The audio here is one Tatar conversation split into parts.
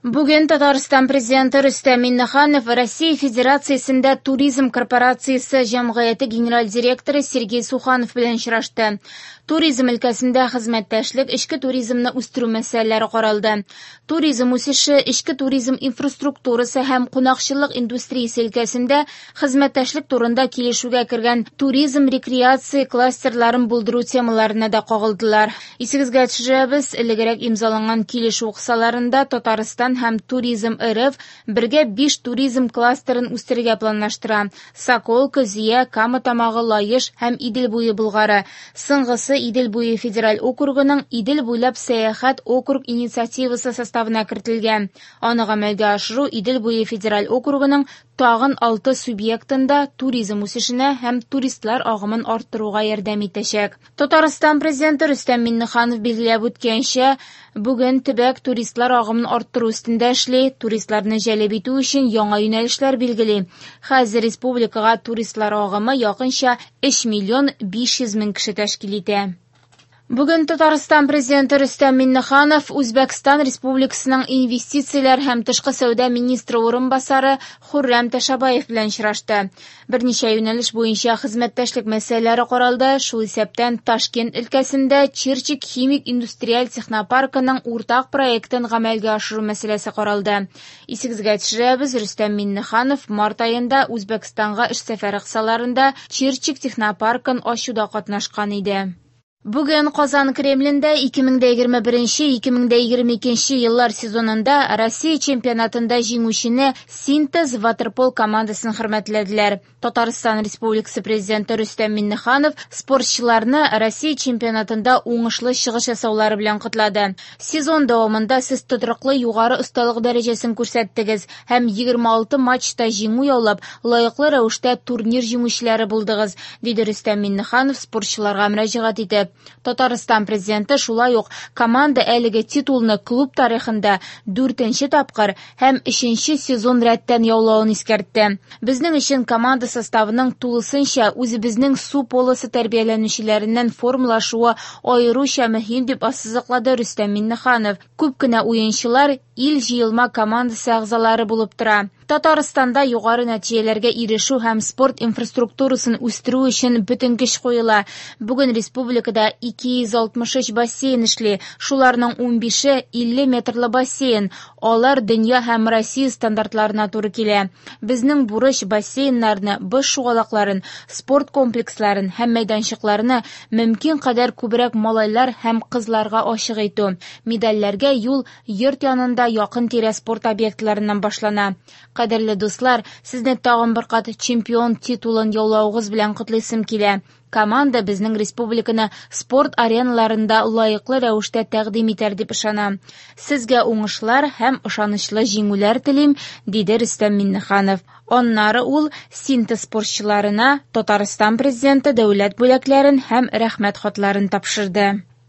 Бүген Татарстан Президенты Рөстәм Миңнеханов Россия Федерациясендә Туризм корпорациясе җәмгыяте генераль директоры Сергей Суханов белән очрашты. Туризм өлкәсендә хезмәттәшлек, эчке туризмны үстерү мәсьәләләре каралды. Туризм үсеше, эчке туризм инфраструктурасы һәм кунакчыллык индустриясе өлкәсендә хезмәттәшлек турында килешүгә кергән туризм-рекреация кластерларын булдыру темаларына да кагылдылар. Исегезгә төшерәбез, элегрәк имзаланган килешү кысаларында Татарстан һәм Туризм РФ бергә биш туризм кластерын үстерергә планлаштыра: Соколка, Зөя, Кама Тамагы, Лаеш һәм Идел буе Болгары. Соңгысы Идел буе федераль округының Идел буйлап сәяхәт округ инициативасы составына кертелгән. Аны гамәлгә ашыру Идел буе федераль округының тагын алты субъектында туризм үсешенә һәм туристлар агымын арттыруга ярдәм итәчәк. Татарстан Президенты Рөстәм Миңнеханов билгеләп үткәнчә, бүген төбәк туристлар агымын арттыру өстендә эшли, туристларны җәлеп итү өчен яңа юнәлешләр билгели. Хәзер республикага туристлар агымы якынча 3 миллион 500 мең кеше тәшкил итә. Бүген Татарстан Президенты Рөстәм Миңнеханов Үзбәкстан Республикасының инвестицияләр һәм тышкы сәүдә министры урынбасары Хуррам Ташабаев белән очрашты. Берничә юнәлеш буенча хезмәттәшлек мәсьәләләре каралды, шул исәптән Ташкент өлкәсендә Чирчик химик индустриаль технопаркының уртак проектын гамәлгә ашыру мәсьәләсе каралды. Исегезгә төшерәбез, Рөстәм Миңнеханов март аенда Үзбәкстанга эш сәфәре кысаларында Чирчик технопаркын ачуда катнашкан иде. Бүген Казан Кремлендә 2021-2022 еллар сезонында Россия чемпионатында җиңүчене Синтез ватерпол командасын хөрмәтләделәр. Татарстан Республикасы Президенты Рөстәм Миңнеханов спортчыларны Россия чемпионатында уңышлы чыгыш ясаулары белән котлады. Сезон дәвамында сез тотрыклы югары осталык дәрәҗәсен күрсәттегез һәм 26 матчта җиңү яулап, лаеклы рәвештә турнир җиңүчеләре булдыгыз, диде Рөстәм Миңнеханов спортчыларга мөрәҗәгать итеп. Татарстан Президенты шулай ук команда әлеге титулны клуб тарихында 4нче тапкыр һәм 3нче сезон рәттән яулавын искәртте. Безнең өчен команда составының тулысынча үзебезнең су полосы тәрбияләнүчеләреннән формалашуы аеруча мөһим дип ассызыклады Рөстәм Миңнеханов. Күп кенә уенчылар ил җыелма командасы әгъзалары булып тора. Татарстанда югары нәтиҗәләргә ирешү һәм спорт инфраструктурасын үстерү өчен бөтен көч куела. Бүген республикада 263 бассейн эшли. Шуларның 15-е 50 метрлы бассейн. Алар дөнья һәм Россия стандартларына туры килә. Безнең бурыч бассейннарны, боз шугалакларын, спорт комплексларын һәм мәйданчыкларны мөмкин кадәр күбрәк малайлар һәм кызларга ачык итү. Медальләргә юл йорт янында якын-тирә спорт объектларыннан башлана. Кадерле дуслар, сезне тагын бер кат чемпион титулын яулавыгыз белән котлыйсым килә. Команда безнең республиканы спорт ареналарында лаеклы рәвештә тәкъдим итәр дип ышанам. Сезгә уңышлар һәм ышанычлы җиңүләр телим, диде Рөстәм Миңнеханов. Аннары ул Синтез спортчыларына Татарстан Президенты дәүләт бүләкләрен һәм рәхмәт хатларын тапшырды.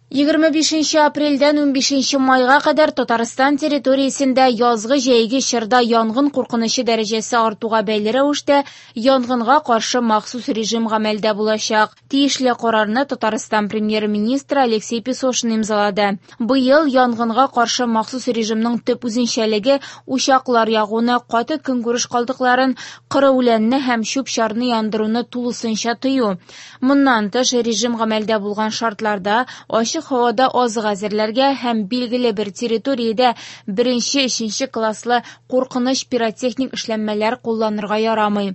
25 апрельдән 15 майга кадәр Татарстан территориясендә язгы-җәйге чорда янгын куркынычы дәрәҗәсе артуга бәйле рәвештә янгынга каршы махсус режим гамәлдә булачак. Тиешле карарны Татарстан премьер-министры Алексей Песошин имзалады. Быел янгынга каршы махсус режимның төп үзенчәлеге учаклар ягуны, каты көнкүреш калдыкларын, коры үләнне һәм чүп-чарны яндыруны тулысынча тыю. Моннан тыш, режим гамәлдә булган шартларда ачык һавада азык әзерләргә һәм билгеле бер территориядә беренче, өченче класслы куркыныч пиротехник эшләнмәләр кулланырга ярамый.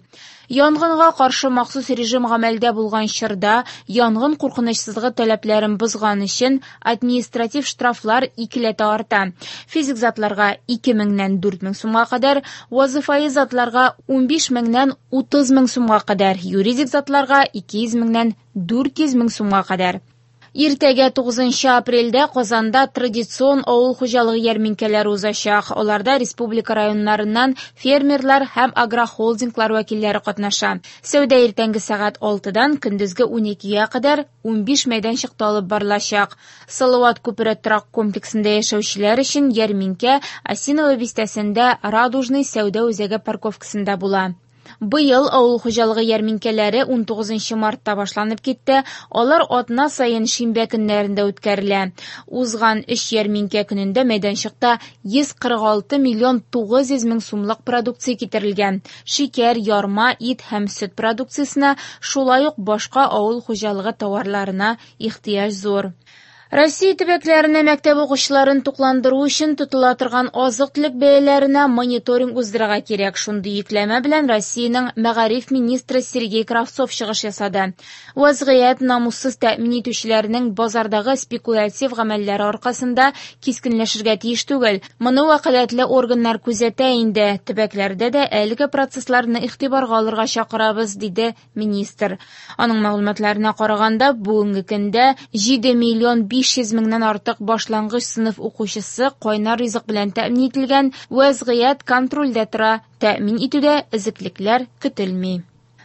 Янгынга каршы махсус режим гамәлдә булган чорда янгын куркынычсызлыгы таләпләрен бозган өчен административ штрафлар икеләтә арта. Физик затларга ике меңнән дүрт мең сумга кадәр, вазифаи затларга унбиш меңнән утыз мең сумга кадәр, юридик затларга ике йөз меңнән дүрт йөз мең сумга кадәр. Иртәгә 9 апрельдә Казанда традицион авыл хуҗалыгы ярминкәләре узачак. Аларда республика районнарыннан фермерлар һәм агрохолдинглар вәкилләре катнаша. Сәүдә иртәнге сәгать алтыдан көндезге уникегә кадәр унбиш мәйданчыкта алып барылачак. Салават күпере торак комплексында яшәүчеләр өчен ярминкә Осиново бистәсендә Радужный сәүдә үзәге парковкасында була. Быел авыл хуҗалыгы ярминкәләре 19 мартта башланып китте. Алар атна саен шимбә көннәрендә үткәрелә. Узган өч ярминкә көнендә мәйданчыкта 146 миллион 900 мең сумлык продукция китерелгән. Шикәр, ярма, ит һәм сөт продукциясенә, шулай ук башка авыл хуҗалыгы товарларына ихтыяҗ зур. Россия төбәкләренә мәктәп укучыларын тукландыру өчен тотыла торган азык-төлек бәяләренә мониторинг уздырырга кирәк. Шундый йөкләмә белән Россиянең мәгариф министры Сергей Кравцов чыгыш ясады. Вазгыять намуссыз тәэмин итүчеләрнең базардагы спекулятив гамәлләре аркасында кискенләшергә тиеш түгел. Моны вәкаләтле органнар күзәтә инде. Төбәкләрдә дә әлеге процессларны игътибарга алырга чакырабыз, диде министр. Аның мәгълүматларына караганда, бүгенге көндә 7 миллион 500 меңнән артык башлангыч сыйныф укучысы кайнар ризык белән тәэмин ителгән, вазгыять контрольдә тора, тәэмин итүдә өзеклекләр көтелми.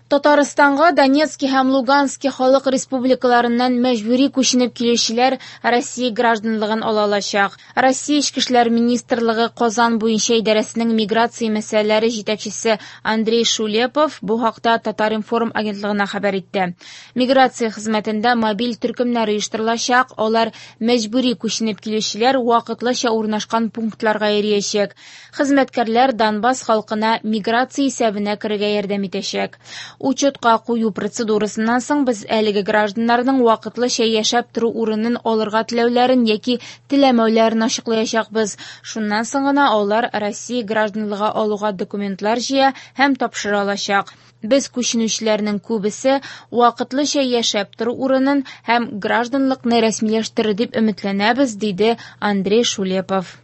Татарстанга Донецки һәм Лугански халык республикаларыннан мәҗбүри күченеп килүчеләр Россия гражданлыгын ала алачак. Россия Эчке эшләр министрлыгы Казан буенча идарәсенең миграция мәсьәләләре җитәкчесе Андрей Шулепов бу хакта Татар-информ агентлыгына хәбәр итте. Миграция хезмәтендә мобиль төркемнәр оештырылачак, алар мәҗбүри күченеп килүчеләр вакытлыча урнашкан пунктларга йөриячәк. Хезмәткәрләр Донбасс халкына миграция исәбенә керергә ярдәм итәчәк. Учетка кую процедурасыннан соң без әлеге гражданнарның вакытлыча яшәп тору урынын алырга теләүләрен яки теләмәүләрен ачыклаячакбыз. Шуннан соң гына алар Россия гражданлыгы алуга документлар җыя һәм тапшыра алачак. Без күченүчеләрнең күбесе вакытлыча яшәп тору урынын һәм гражданлыкны рәсмиләштерер дип өметләнәбез, диде Андрей Шулепов.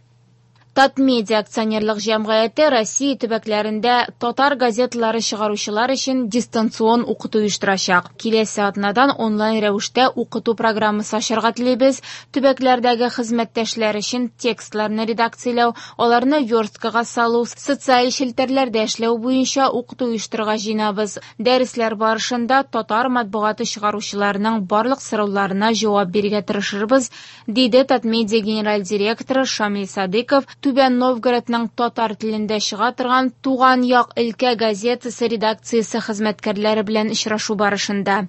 Татмедиа акционерлык җәмгыяте Россия төбәкләрендә татар газеталары чыгаручылар өчен дистанцион укыту оештырачак. Киләсе атнадан онлайн рәвештә укыту программасы ачарга телибез. Төбәкләрдәге хезмәттәшләр өчен текстларны редакцияләү, аларны версткага салу, социаль челтәрләрдә эшләү буенча укыту оештырырга җыенабыз. Дәресләр барышында татар матбугаты чыгаручыларының барлык сорауларына җавап бирергә тырышырбыз, диде Татмедиа генераль директоры Шамил Садыков. Түбән Новгородның татар телендә чыга торган Туган як өлкә газетасы редакциясе хезмәткәрләре белән очрашу барышында.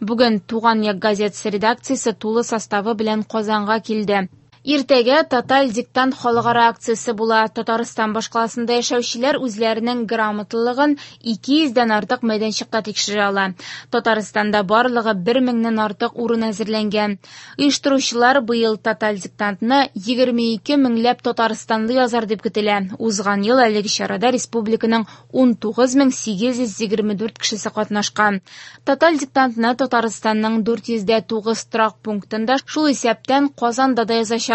Бүген Туган як газетасы редакциясе тулы составы белән Казанга килде. Иртәгә Тоталь диктант халыкара акциясе була. Татарстан башкаласында яшәүчеләр үзләренең грамоталылыгын 200дән артык мәйданчыкта тикшерә ала. Татарстанда барлыгы 1000ннән артык урын әзерләнгән. Оештыручылар быел Тоталь диктантны 22 меңләп татарстанлы язар дип көтелә. Узган ел әлеге чарада республиканың 19824 кешесе катнашкан. Тоталь диктантны Татарстанның 409 торак пунктында, шул исәптән Казанда да язачаклар.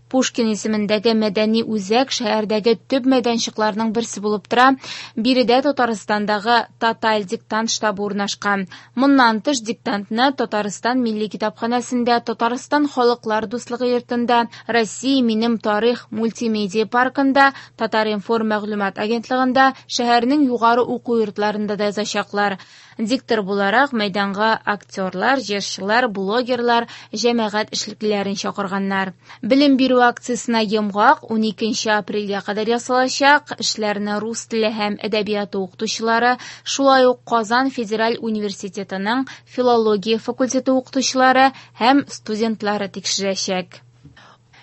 Пушкин исемендәге мәдәни үзәк шәһәрдәге төп мәйданчыкларның берсе булып тора. Биредә Татарстандагы Тоталь диктант штабы урнашкан. Моннан тыш диктантны Татарстан Милли китапханәсендә, Татарстан Халыклар дуслыгы йортында, Россия минем тарих мультимедиа паркында, Татар-информ мәгълүмат агентлыгында, шәһәрнең югары уку йортларында да язачаклар. Диктор буларак мәйданга актерлар, җырчылар, блогерлар, җәмәгать эшлеклеләрен чакырганнар. Белем бирү акциясенә йомгак 12 апрельгә кадәр ясалачак. Эшләрне рус теле һәм әдәбияты укытучылары, шулай ук Казан федераль университетының филология факультеты укытучылары һәм студентлары тикшерәчәк.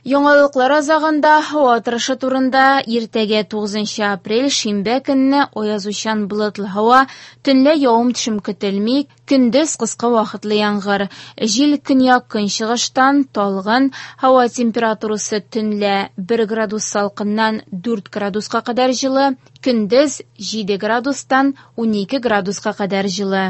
Яңалыклар азагында һава торышы турында. Иртәгә 9 апрель шимбә көнне аязучан болытлы һава, төнлә явым-төшем көтелми, көндез кыска вакытлы яңгыр. Җил көньяк-көнчыгыштан талгын, һава температурасы төнлә 1 градус салкыннан 4 градуска кадәр җылы, көндез 7 градустан 12 градуска кадәр җылы.